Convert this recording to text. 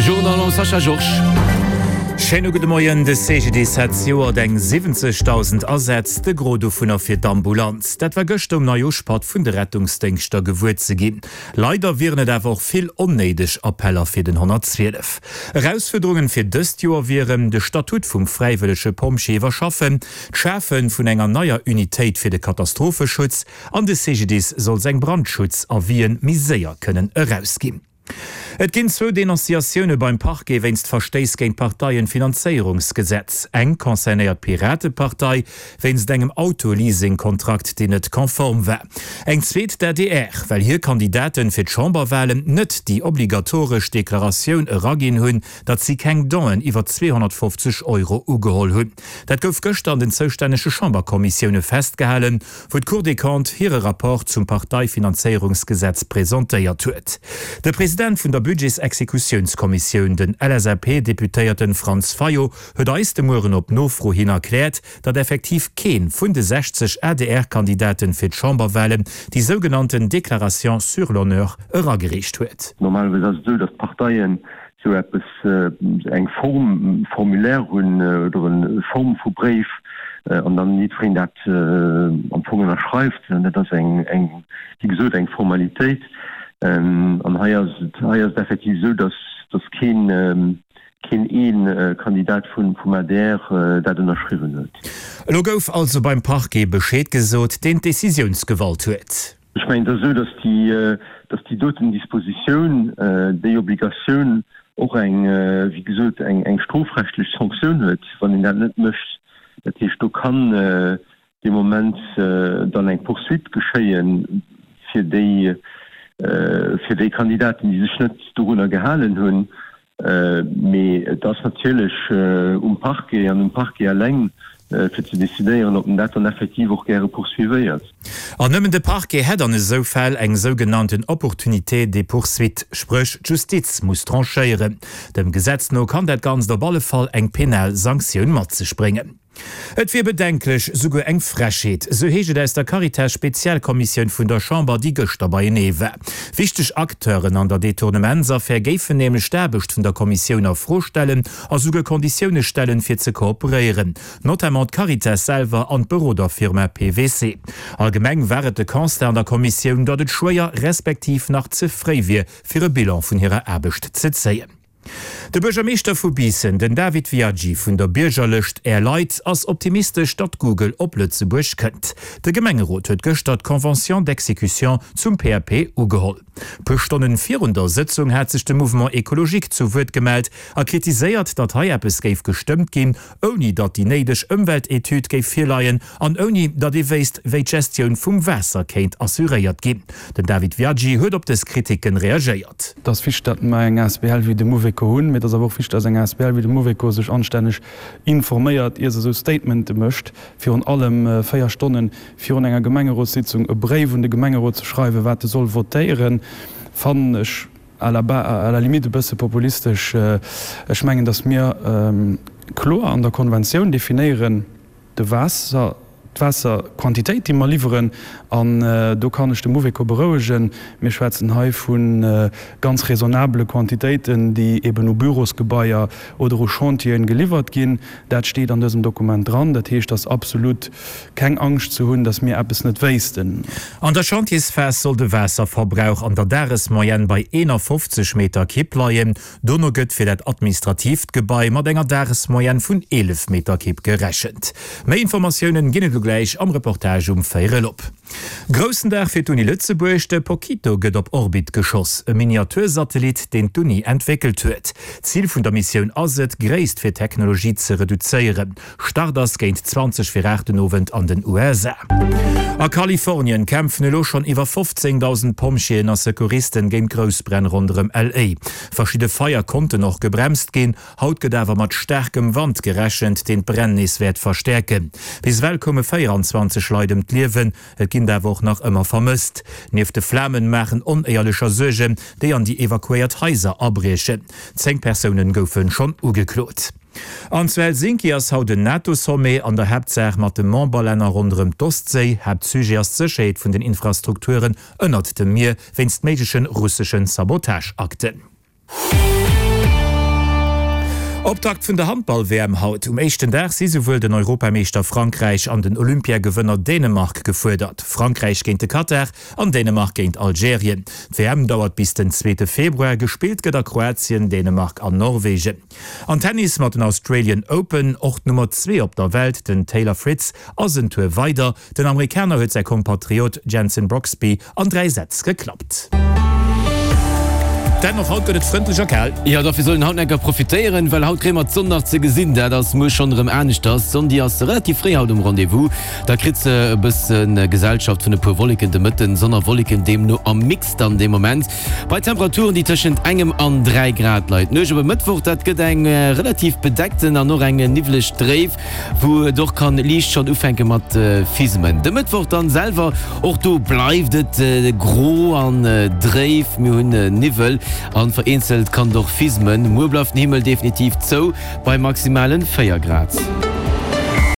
De Journal mam Sascha Georges. Schéine gudde Moien. De CGDIS hat zejoert eng 70.000 Asätz, de Gros dovunner fir d'Ambulanz. Dat war gëschter um Neijooschpatt vun de Rettungsdéngschter gewuer ze ginn. Leider wieren et awer och vill onnéideg Appeller fir den 112. Erausfuerderungen fir dëst Joer wieren, de Statut vum fräiwëllege Pompjee iwwerschaffen, d'Schafe vun enger neier Unitéit fir de Katastropheschutz an de CGDIS soll seng Brandschutz-Avisen méi séier kënnen erausginn. Et ginn zwou Denonciatioune beim Parquet wéinst Verstéiss géint d'Parteienfinanzéierungsgesetz. Eng concernéiert d'Piratepartei wéinst engem Autoleasing-Kontrakt, deen net konform war. Eng zweet d'ADR, well hir Kandidaten fir d'Chamberwalen net déi obligatoresch Deklaratioun eraginn hunn, datt si keng Donen iwwer 250 Euro ugeholl hunn. Dat gouf gëschter an den zoustännege Chamberkommissioune festgehalen, wou d'Cour des Comptes hire Rapport zum Parteifinanzéierungsgesetz presentéiert huet. De President vun der Budgetsexekutiounskommissioun, den LSAP-Deputéierten Franz Fayot, huet eis de Mueren op Nofro hin erkläert, datt effektiv kee vun de 60 ADR-Kandidaten fir d'Chamberwahlen déi sougenannten Déclaration sur l'honneur eragereecht huet. Normalerweis ass et esou, datt d'Parteien esou eppes, eng Form, Formulaire hunn oder e Form vu Bréif an dann jiddwereen dat am Fong ënnerschreift. An dat ass eng, eng, wéi gesot, eng Formalitéit. An hei ass et, hei ass et effektiv esou, dass, dass keen, keen ee Kandidat vun, vum adr dat ënnerschriwwen huet. Elo gouf also beim Parquet Bescheed gesot, deen d'Decisiounsgewalt huet. Ech mengen, et ass esou, dass déi, dass déi doten Dispositioun, déi Obligatioun och eng, wéi gesot, eng, eng strofrechtlech Sanktioun huet, wann een dat net mécht. Dat heescht, do kann dee Moment dann eng Poursuite geschéie fir déi, fir déi Kandidaten, déi sech net dorunner gehalen hunn. Mee et ass natierlech um Parquet an um Parquet eleng, fir ze decidéieren, ob en dat dann effektiv och gäre poursuivéiert. An nëmmen de Parquet hätt an esou Fäll eng sougenannten Opportunité de poursuite, spréch d'Justiz muss tranchéieren. Dem Gesetz no kann dat Ganzt op alle Fall eng penal Sanktioun mat sech bréngen. Et wier bedenklech, souguer eng Frechheet, sou heescht et aus der Caritas-Spezialkommissioun vun der Chamber, déi gëschter beienee war. Wichteg Acteuren an der Detournementsaffär géifen nämlech d'Aarbecht vun der Kommissioun a Fro stellen a souguer Konditioune stellen, fir ze kooperéieren, notamment d'Caritas selwer an d'Beroderfirma PWC. Allgemeng war et de Constat an der Kommissioun, datt et schwéier respektiv nach ze fréi wier, fir e Bilan vun hirer Aarbecht ze zéien. De Buergermeeschter vu Biissen, den David Viaggi vun der Biergerlëscht Är Leit, ass optimistesch, datt Google op Lëtzebuerg kënnt. De Gemengerot huet gëschter d'Convention d'exécution zum PAP ugeholl. Puer Stonnen virun der Sëtzung hat sech de Mouvement Ecologique zu Wuert gemellt a kritiséiert, datt hei eppes géif gestëmmt ginn, ouni datt déi néideg Ëmweltetüd géif virleien an ouni datt ee wéisst, wéi d'Gestioun vum Waasser kéint assuréiert ginn. Den David Viaggi huet op dës Kriticken reagéiert. Et ass wichteg, datt mer eng asbl wéi de Mouveco hunn, mee et ass awer och wichteg, datt eng asbl wéi de Mouveco sech anstänneg informéiert, ier se esou Statemente mécht. Virun allem 4 Stonne virun enger Gemengerotssitzung e Bréif un de Gemengerot ze schreiwen, wat e soll votéieren, fannen ech à la à la limite e bësse populistesch. Ech mengen, datt mir kloer an der Konventioun definéieren, de Waasser, d'Waasserquantitéit, déi mer liwweren, an do kann ech de Mouveco berouegen, mir schwätzen hei vu ganz raisonnabele Quantitéiten, déi eben u Bürosgebaier oder u Chantieren geliwwert ginn. Dat steet an dësem Dokument dran. Dat heescht, et ass absolut keng Angscht ze hunn, datt mir eppes net wéissten. An der Chantiersphas soll de Waasserverbrauch an der Dagesmoyenne bei 51 Meter Kipp leien. Dono gëtt fir dat administratiivt Gebai mat enger Dagesmoyenne vun 11 Meter Kipp gerechent. Méi Informatiounen ginn et elo gläich am Reportage um Véierel op. Groussen Dag fir d'Uni Lëtzebuerg, De Pokito gëtt op Orbit geschoss, e Miniatursatellit, deen d'Uni entwéckelt huet. Zil vun der Missioun ass et, d'Gréisst fir d'Technologie ze reduzéieren. Start ass géint 20 vir 8 den Owend an den USA. A Kalifornien kämpfen elo schonn iwwer 15.000 Pompjeeën a Secouristen géint Groussbränn ronderëm LA. Verschidde Feier konnten och gebremst ginn. Haut gëtt awer mat staarkem Wand gerechent, deen d'Bränn nees wäert verstäerken. Bis ewell koume 24 Leit ëm d'Liewen, et ginn der awer och nach ëmmer vermësst. Nieft de Flamen maachen Onéierlecher Suergen, déi an déi evakuéiert Haiser abriechen. 10 Persounen goufe schonn ugeklot. An zu Helsinki ass haut en NATO-Sommet, an der Haaptsaach mat de Memberlänner ronderëm d'Ostséi. Haaptsujet ass d'Sécherheet vun den Infrastrukturen ënnert dem Mier wéinst méigleche russeschen Sabotageakten. Optakt vun der Handball-WM haut. Um éischten Dag si souwuel den Europameeschter Frankräich an den Olympiagewënner Dänemark gefuerdert. Frankräich géint de Katar an Dänemark géint Algerien. D'WM dauert bis den zweete Februar, gespillt gëtt a Kroatien, Dänemark an Norwegen. An Tennis mat den Australian Open, och d'Nummer 2 op der Welt, den Taylor Fritz, ass en Tour weider. Den Amerikaner huet säi Kompatriot Jenson Brooksby an 3 Sätz geklappt. Dann och haut gëtt et frëndlech a kal. Jo, dofir soll een haut enker profitéieren, well haut kréie mer d'Sonn nach ze gesinn. Dat ass muer schonn erëm aneschters. D'Sonn, déi ass relativ fréi haut um Rendez-vous. Da kritt se e bësse Gesellschaft vun e puer Wolleken de Mëtten. Sonn a Wolleken deemno am Mix dann dee Moment. Bei Temperaturen, déi tëschent engem an 3 Grad leit. D'Nuecht op e Mëttwoch, dat gëtt eng relativ bedeckten an och eng niwwleg dréif, wou et och kann liicht schonn ufänke mat fismen. De Mëttwoch dann selwer, och do bleift et gro an dréif, mir hunn Niwwel an vereenzelt kann et och fismen. Muer bleift den Himmel definitiv zou bei maximalen 4 Grad.